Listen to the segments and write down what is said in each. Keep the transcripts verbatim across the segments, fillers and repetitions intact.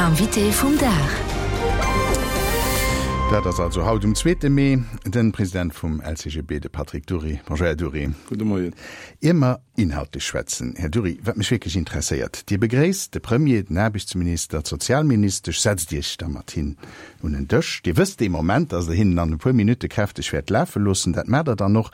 Invité vum Dag. Dat ass also haut um zweete Mee den President vum L C G B, de Patrick Dury. Bonjour, Här Dury. Gudde Moien. Ier mer inhaltlech schwätzen, Här Dury, wat mech wierklech interesséiert, Dir begréisst de Premier, den Aarbechtsminister, d'Sozialministesch, setzt Iech da mat hinnen un en Dësch. Dir wësst dee Moment, datt Der hinnen an e puer Minutte kräfteg wäert lafe loossen. Dat maacht Der dann och.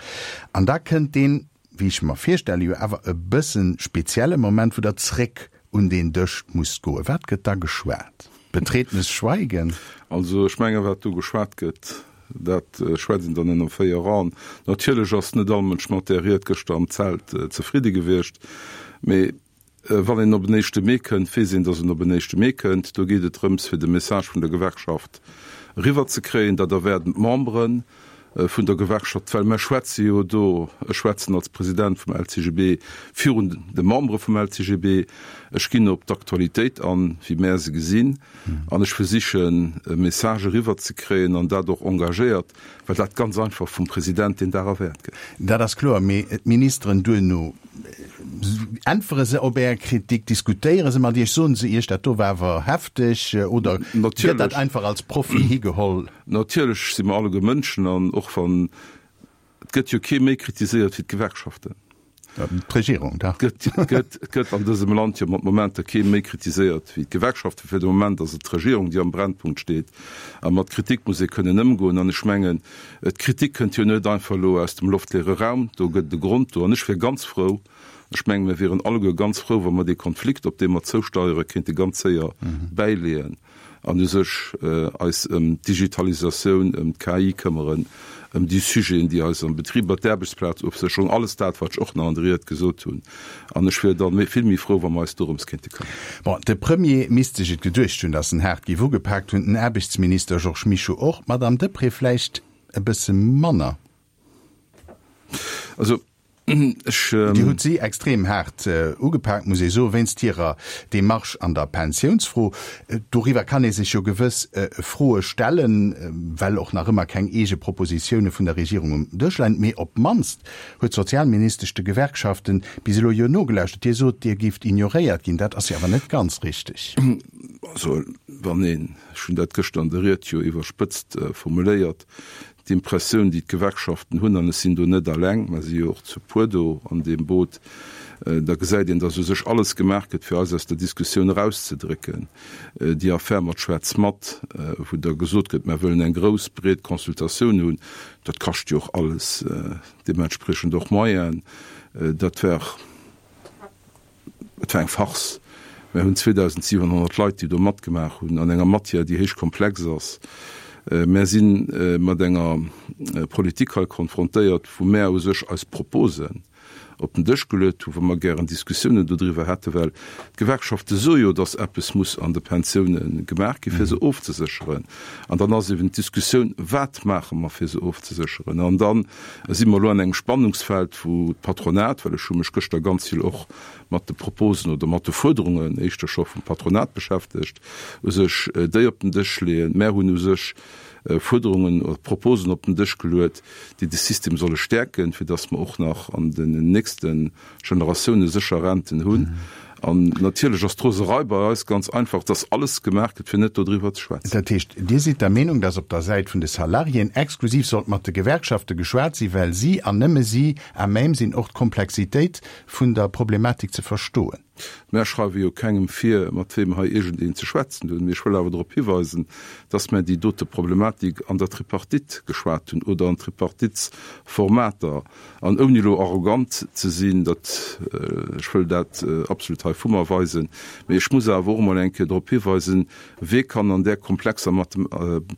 An da kënnt deen, wéi ech mer virstelle, jo awer e bësse spezielle Moment, wou Der zréck un deen Dësch musst goen. Wat gëtt da geschwat? Betretenes Schweigen? Also ech menge wat do geschwat gëtt, dat schwätzt een dann ënner véier Aen. Natierlech ass net all Mënsch mat där Ried gëschter am Zelt zefridde gewiescht, mee wann een op en éischte Mee kënnt, weess een, datt en op en éischte Mee kënnt. Do geet et drëms, fir de Message vun der Gewerkschaft eriwwerzekréien. Dat erwaarden d'Membere vun der Gewerkschaft, well mer schwätze jo do, ech schwätzen als President vum L C G B virun de Membere vum L C G B, ech ginn op d'Aktualitéit an, wéi mär se gesinn, an ech versichen e Message eriwwerzekréien an dat och engagéiert, well dat ganz einfach vum President deen Dag erwaart gëtt. Dat ass kloer, mee d'Ministeren duerno, äntwere se op Är Kritik, diskutéiere se mat Iech, soen se Iech, dat do war awer hefteg, oder gëtt dat einfach als Profi higeholl? Natierlech si mer alleguer Mënschen an och wann, et gëtt jo kee méi kritiséiert wéi d'Gewerkschaften. D'Regierung dach. Et gëtt, et gëtt an dësem Land jo mat Momenter kee méi kritiséiert wéi d'Gewerkschaften. Fir de Moment ass et d'Regierung, déi am Brennpunkt steet. A mat Kritik muss ee kënnen ëmgoen. An ech mengen, d'Kritik kënnt jo net einfach elo aus dem loftleere Raum. Do gëtt et e Grond do. An ech wier ganz frou, ech mengen, mir wieren alleguer ganz frou, wa mer dee Konflikt, op dee mer zousteiere, kéinte ganz séier bäileeën an u sech eis ëm d'Digitalisatioun, ëm d'K I këmmeren, ëm déi Sujeten, déi eis am Betriber, d'Aarbechtsplazofsécherung, alles dat, wat ech och nach an der Ried gesot hunn. An ech wier da vill méi frou, wa mer eis dorëms kéinte këmmeren. Bon, de Premier misst sech et geduecht hunn, datt en haart géif ugepaakt hunn, den Aarbechtsminister Georges Mischo och, d'Madame Deprez vläicht e bësse manner. Also ech. Dir hutt si extrem haart ugepaakt, muss ee soen, wéinst hirer Demarche an der Pensiounsfro. Doriwwer kann ee sech jo gewëss Froe stellen, well och nach ëmmer keng eege Propositioune vun der Regierung um Dësch leien. Mee op d'mannst huet d'Sozialministesch de Gewerkschaften bis elo jo nogelauschtert. Dir sot, Dir géift ignoréiert ginn. Dat ass jo awer net ganz richteg. Also wann een, ech hunn dat gëschter an der Ried jo iwwerspëtzt formuléiert, d'Impressioun, déi d'Gewerkschaften hunn, an ech sinn do net alleng, mer si jo och zu puer do an deem Boot, da gesäit een, datt u sech alles gemaach gëtt, fir eis aus der Diskussioun erauszedrécken. Déi Affär mat Schwätz mat, wou da gesot gëtt, mer wëllen eng grouss, breet Consultatioun hunn, dat kascht jo och alles deementspriechend och Moyenen. Dat war, et war eng Farce. Mer hunn zweedausentsiwenhonnert Leit, déi do matgemaach hunn an enger Matière, déi héich komplex ass. Mär si mat enger Politik hei konfrontéiert, wou mär u sech eis Proposen op den Dësch geluet hunn, wou mer gären Diskussiounen dodriwwer hätten, well d'Gewerkschafte soe jo, datt eppes muss an de Pensioune gemaach gi fir se ofzesécheren. An dann ass eben d'Diskussioun, Wat maache mer fir se ofzesécheren? An da si mer elo an engem Spannungsfeld, wou d'Patronat, well ech hu mech gëschter ganz vill och mat de Proposen oder mat de Fuerderungen éischter scho vum Patronat beschäftegt, u sech déi op den Dësch leeën. Mär hunn u sech Fuerderungen oder Proposen op den Dësch geluet, déi de System solle stäerken, fir datt mer och nach an den nächste Generatioune sécher Renten hunn. An natierlech ass d'Roserei bei eis ganz einfach, datt alles gemaach gëtt, fir net dodriwwer ze schwätzen. Dat heescht, Dir sidd der Meenung, datt op der Säit vun de Salariéen exklusiv sollt mat de Gewerkschafte geschwat sinn, well si an nëmme si à même sinn, och d'Komplexitéit vun der Problematik ze verstoen? Mär schreiwe jo kengem vir, mat weem hei iergendeen ze schwätzen hunn. Mee ech wëll awer drop hiweisen, dass mär déi dote Problematik an der Tripartite geschwat hunn oder an Tripartitsformater. An ouni elo arrogant ze sinn, dat, ech wëll dat absolut hei vu mer weisen, mee ech muss awer och emol eng Kéier drop hiweisen, Wee kann an där komplexer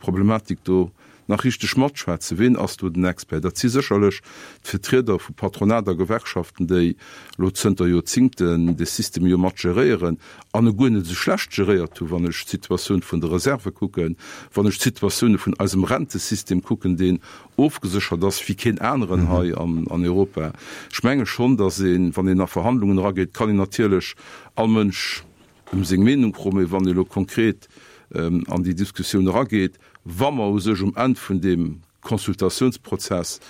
Problematik do nach richteg matschwätzen? Ween ass do den Expert? Dat si sécherlech d'Vertrieder vu Patronat a Gewerkschaften, déi elo zënter Joerzingten dee System jo mat geréieren an e guer net esou schlecht geréiert hunn, wann ech d'Situatioun vun de Reserve kucken, wann ech d'Situatioune vun eisem Rentesystem kucken, deen ofgeséchert ass wéi keen aneren hei an Europa. Ech menge schonn, datt een, wann een a Verhandlungen erageet, kann een natierlech all Mënsch ëm seng Meenung froen, mee wann ee elo konkret an déi Diskussioun erageet, wa mer u sech um Enn vun deem Consultatiounsprozess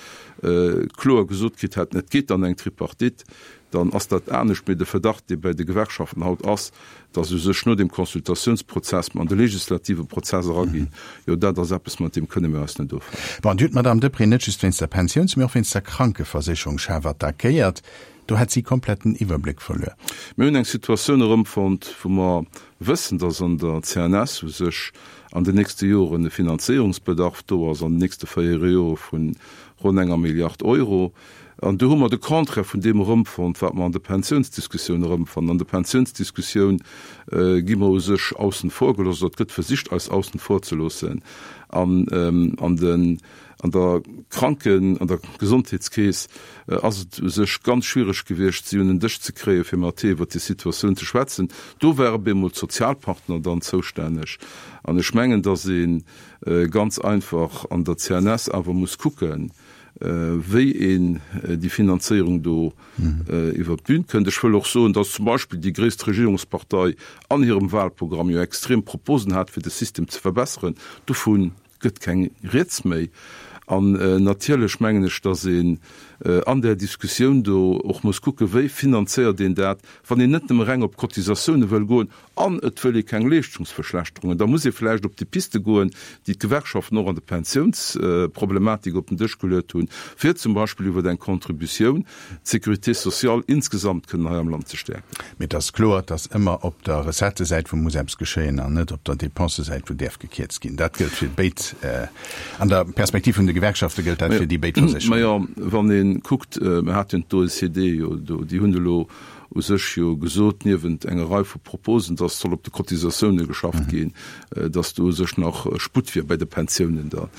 kloer gesot kritt hätten, et geet an eng Tripartite, dann ass dat anescht. Mee de Verdacht, dee bei de Gewerkschaften haut ass, dass u sech no dem Consultatiounsprozess mer an de legislative Prozess eraginn, jo dat ass eppes, mat deem kënne mir eis net offannen. Bon, Dir hutt d'Madame Deprez net just wéinst der Pensiouns-, mee och wéinst der Krankeversécherung schaarf attackéiert. Do hätt si komplett den Iwwerbléck verluer. Mir hunn eng Situatioun erëmfonnt, wou mer wëssen, dass an der C N S u sech an den nächste Joren e Finanzéierungsbedarf do ass, an den nächste véier Jore vu ronn enger Milliard Euro. An do hu mer de Contraire vun deem erëmfonnt, wat mer an der Pensiounsdiskussioun erëmfannen. An der Pensiounsdiskussioun gi mer u sech aussen vor gelooss, oder et gëtt versicht, eis aussen vor ze loossen. An an den An der Kranken an der Gesondheetskeess ass et u sech ganz schwiereg gewiescht, si un en Dësch ze kréien, fir mat iwwert déi Situatioun ze schwätzen. Do ware bemol d'Sozialpartner dann zoustänneg. An ech mengen, datt ee ganz einfach an der C N S awer muss kucken, wéi een déi Finanzéierung do iwwert d'Bün kënnt. Ech wëll och soen, datt zum Beispill déi gréisst Regierungspartei an hirem Wahlprogramm jo extrem Proposen hat, fir de System ze verbesseren. Dovun gëtt keng Rieds méi. An natierlech mengen ech, datt een an där Diskussioun do och muss kucken, wéi finanzéiert een dat, wann een net nëmme reng op Cotisatioune wëll goen an et wëll ee keng Leeschtungsverschlechterungen. Da muss ee vläicht op déi Piste goen, déi d'Gewerkschaften och an der Pensiounsproblematik op den Dësch geluet hunn, fir zum Beispill iwwer eng Contributioun d'Sécurité sociale insgesamt kënnen hei am Land ze stäerken. Mee et ass kloer, dass ëmmer op der Recettësäit wou muss eppes geschéien an net op der Dépensësäit wou däerf gekierzt ginn. Dat gëllt fir béid, an der Perspektiv vun de Gewerkschafte gëllt dat fir déi béid Versécherungen. Majo, wann ee kuckt, mir haten d'O E C D jo do, déi hunn elo u sech jo gesot, niewent enger Rei vu Proposen, dass soll op de Cotisatioune geschafft ginn, dass do u sech nach Sputt wier bei de Pensiounen da.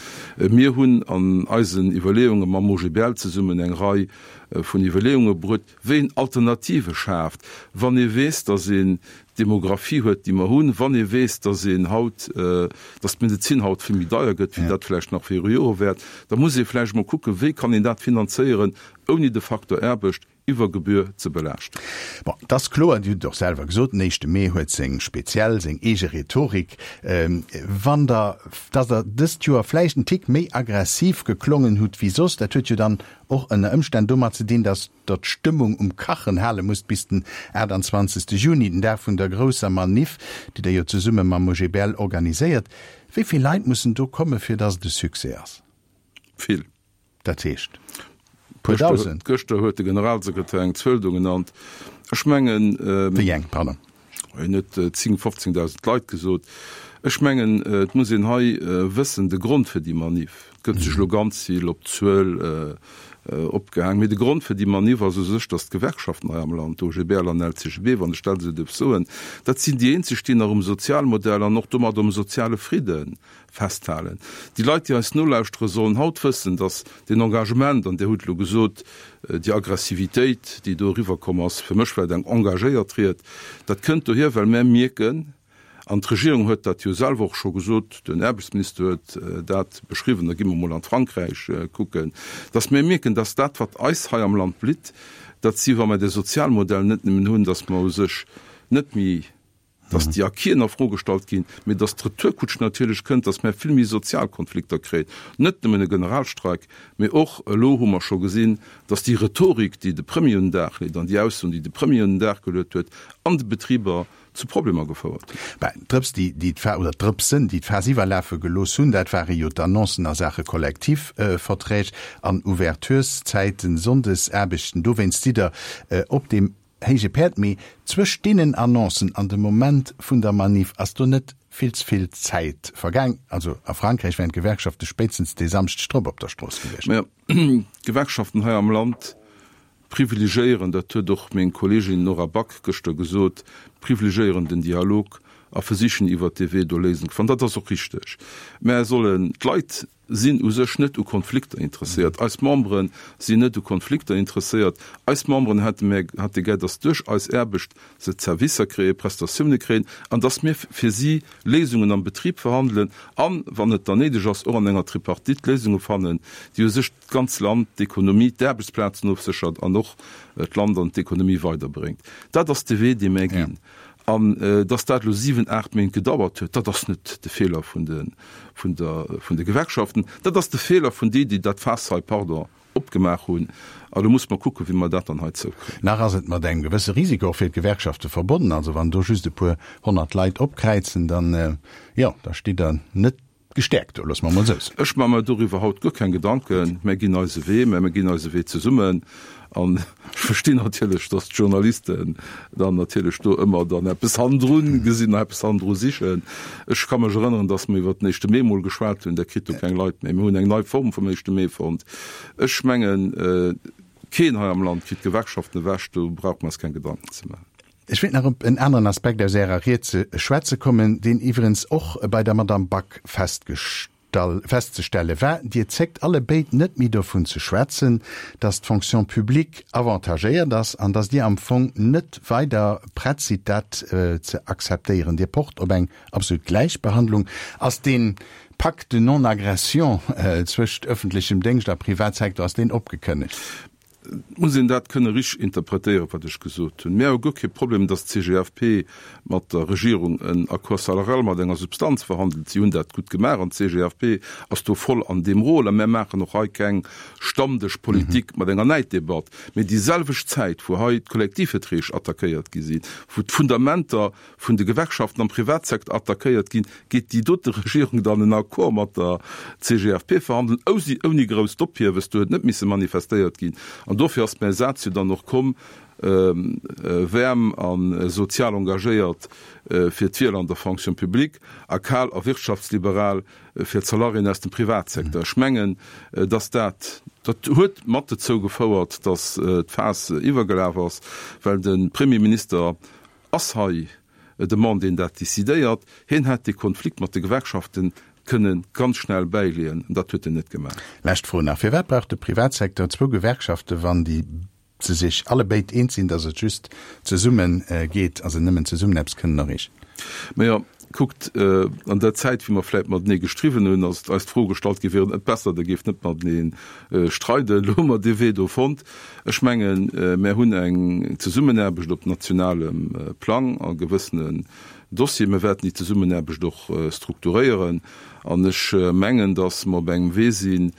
Mir hunn an eisen Iwwerleeunge mam O G B L zesummen eng Rei vun Iwwerleeunge bruet, wéi een Alternative schaaft, wann ee weess, dass een d'Demographie huet, déi mer hunn, wann ee weess, dass een haut, dass d'Medezin haut vill méi deier gëtt, wéi dat vläicht nach viru Jore war, da muss ee vläicht emol kucken, wéi kann een dat finanzéieren, ouni de Facteur Aarbecht iwwer Gebühr ze belaaschten. Bon, et ass kloer, Dir hutt et och selwer gesot, den éischte Mee huet seng speziell, seng eege Rhetorik. Wann Der, dass Der dëst Joer vläicht en Tick méi aggressiv geklongen hutt wéi soss, dat huet jo dann och ënner Ëmstänn domat ze dinn, dass Der d'Stëmmung um Kachen hale musst bis den aachtanzwanzegste Juni, den Dag vun der grousser Maniff, déi Der jo zesumme mam O G B L organiséiert. Wéi vill Leit mussen do kommen, fir dass et e Succès ass? Vill. Dat heescht? Puer Dausend? Gëschter huet de Generalsekretär eng Zuel do genannt. Ech mengen. Wéi eng, pardon? Hien huet zéng, fofzéngdausend Leit gesot. Ech mengen, et muss een hei wëssen, de Grond fir déi Maniff, et gëtt sech elo ganz vill op d'Zuel opgehaang, mee de Grond fir déi Maniff ass u sech, datt d'Gewerkschaften hei am Land, O G B L an L C G B, wann ech dat esou dierf soen, dat sinn déi eenzeg, déi nach um Sozialmodell an och domat um soziale Fridde festhalen. Déi Leit, déi eis nolauschtere sollen haut wëssen, datt deen Engagement, an Dir hutt elo gesot, déi Aggressivitéit, déi do eriwwerkomm ass, fir mech war et eng engagéiert Ried, dat kënnt dohier, well mär mierken, an d'Regierung huet dat jo selwer och scho gesot, den Aarbechtsminister huet dat beschriwwen, da gi mer emol an d'Frankräich kucken, datt mir mierken, datt dat, wat eis hei am Land blitt, dat si wa mer de Sozialmodell net nëmmen hunn, datt mer u sech net méi, dass déi Acquisen a Fro gestallt ginn, mee dass d'Retourkutsch natierlech kënnt, dass mer vill méi sozial Konflikter kréien, net nëmmen e Generalstreik, mee och elo hu mer scho gesinn, dass déi Rhetorik, déi de Premier un den Dag leet an déi Aussoen, déi de Premier un den Dag geluet huet, an de Betriber zu Problemer gefouert hunn. Ben, d'Drëps, déi d'Fa oder d'Drëpsen, déi d'Faass iwwerlafe gelooss hunn, dat ware jo d'Annoncen a Saache Kollektivverträg an Ouvertureszäiten, Sonndesaarbechten. Dowéinst sidd Der op deem héije Päerd. Mee zwëscht deenen Annoncen an dem Moment vun der Maniff ass do net vill ze vill Zäit vergaang? Also a Frankräich wären d'Gewerkschafte spéitstens dee Samschdeg drop op der Strooss gewiescht. Majo, d'Gewerkschaften hei am Land privilegéieren, dat huet och meng Kolleegin Nora Back gëschter gesot, privilegéieren den Dialog a versichen iwwert dee Wee do Léisungen ze fannen. Dat ass och richteg. Mä sollen d'Leit sinn u sech net u Konflikter interesséiert. Eis Membere sinn net u Konflikter interesséiert. Eis Memberen hätte mär hätte gär, datt duerch eis Aarbecht se Zerwisser kréien, Prestatioune kréien an datt mir fir si Léisungen am Betrib verhandelen an, wann et dann néideg ass, och an enger Tripartite Léisunge fannen, déi u sech d'ganz Land, d'Ekonomie, d'Aarbechtsplazen ofséchert an och d'Land an d'Ekonomie weiderbréngt. Dat ass de Wee, dee mär ginn. An dass dat elo siwen, aacht Méint gedauert huet, dat ass net de Feeler vun de, vun der, vun de Gewerkschaften, dat ass de Feeler vun déi, déi dat Faass hei, pardon, opgemaach hunn. A lo muss mer kucken, wéi mer dat dann hei zoukréien. Nach ass et mat engem gewësse Risiko och fir d'Gewerkschafte verbonnen. Also wann do just e puer honnert Leit opkräizen, dann, jo, da steet Der net gestäerkt do, loosse mer emol esou soen. Ech maache mer doriwwer haut guer keng Gedanken. Mär ginn eise Wee, mä mir ginn eise Wee zesummen. An ech verstinn natierlech, datt d'Journalisten dann natierlech do ëmmer dann eppes hannendru gesinn, eppes hannendru sichen. Ech ka mech erënneren, datt mer iwwert den éischte Mee mol geschwat hunn, Der kritt do keng Leit méi. Mir hunn eng nei Form vum éischte Mee fonnt. Ech mengen, keen hei am Land kritt d'Gewerkschaften ewech, do brauche mer eis keng Gedanken ze maachen. Ech wéilt nach op en aneren Aspekt aus Ärer Ried ze schwätze kommen, deen iwwerens och bei der Madamm Back festzestelle war, Dir zéckt allebéid net méi dovun ze schwätzen, datt d'Fonction publique avantagéiert ass an datt Dir am Fong net weider prett sidd, dat ze akzeptéieren. Dir pocht op eng absolut Gläichbehandlung. Ass dee Pacte de non-agression zwëscht öffentlechem Déngscht a Privatsecteur, ass deen opgekënnegt? Et muss een dat kënne richteg interpretéieren, wat ech gesot hunn. Mir hu guer kee Problem, datt d'CGFP mat der Regierung en Accord salarial mat enger Substanz verhandelt. Si hunn dat gutt gemaach an d'CGFP ass do voll an deem Rôle. A mir maachen och hei keng Stammdëschpolitik mat enger Näiddebatt. Mee déi selwecht Zäit, wou hei d'Kollektivverträg attackéiert gi sinn, wou d'Fundamenter vun de Gewerkschaften am Privatsecteur attackéiert ginn, geet déi dote Regierung dann en Accord mat der C G F P verhandelen, ouni grousst Ophiewes, do huet net misse manifestéiert ginn. An dofir ass mäi Saz jo dann och komm, Waarm a sozial engagéiert fir d'Wieler an der Fonction publique a kal a wirtschaftsliberal fir d'Salariéen aus dem Privatsecteur. Ech mengen, dass dat, dat huet mat dozou gefouert, dass d'Faass iwwergelaf ass, well de Premierminister ass hei de Mann, deen dat decidéiert. Hien hätt dee Konflikt mat de Gewerkschaften kënne ganz schnell bäileeën. Dat huet en net gemaach. Lescht Fro nach, Firwat brauch de Privatsecteur zwou Gewerkschaften, wann déi se sech allebéid eens sinn, datt et just zesumme geet a se nëmmen zesummen eppes kënnen erreechen? Majo, kuckt, an der Zäit, wéi mer vläicht matenee gestriwwen hunn, ass eis d'Fro gestallt gi, Wier et net besser, Der géift net matenee streiden? Elo hu mer dee Wee do fonnt. Ech mengen, mär hunn eng Zesummenaarbecht op nationalem Plang a gewëssenen Dossieren. Mir wäerten déi Zesummenaarbecht och strukturéieren. An ech mengen, datt mer op engem Wee sinn,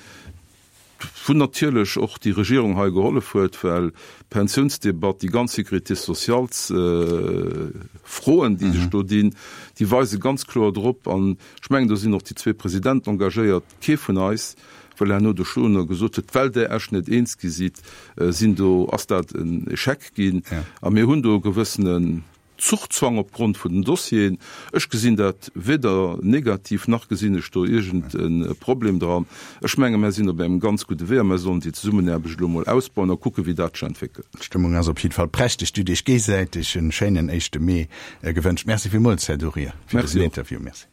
wou natierlech och déi Regierung hei gehollef huet, well d'Pensiounsdebatt, déi ganz Sécurité sociales-Froen, déi sech do dinn, déi weise ganz kloer drop, an ech mengen, do sinn och déi zwee Presidenten engagéiert, kee vun eis, well herno de Schloner gesot huet, well Der Iech net eens gi sidd, sinn do, ass dat en Échec ginn. A mir hunn do e gewëssenen Zuchzwang opgrond vun den Dossieren. Ech gesinn dat weder negativ, nach gesinn ech do iergend e Problem dran. Ech menge mär sinn op engem ganz gudde Wee a mär sollen déi Zesummenaarbecht elo emol ausbauen a kucken, wéi dat sech entwéckelt. D'Stëmmung ass op jiddwer Fall prächteg. Dir hutt Iech géisäiteg en schéinen éischte Mee gewënscht. Merci villmools, Här Durier, fir dësen Interview. Merci.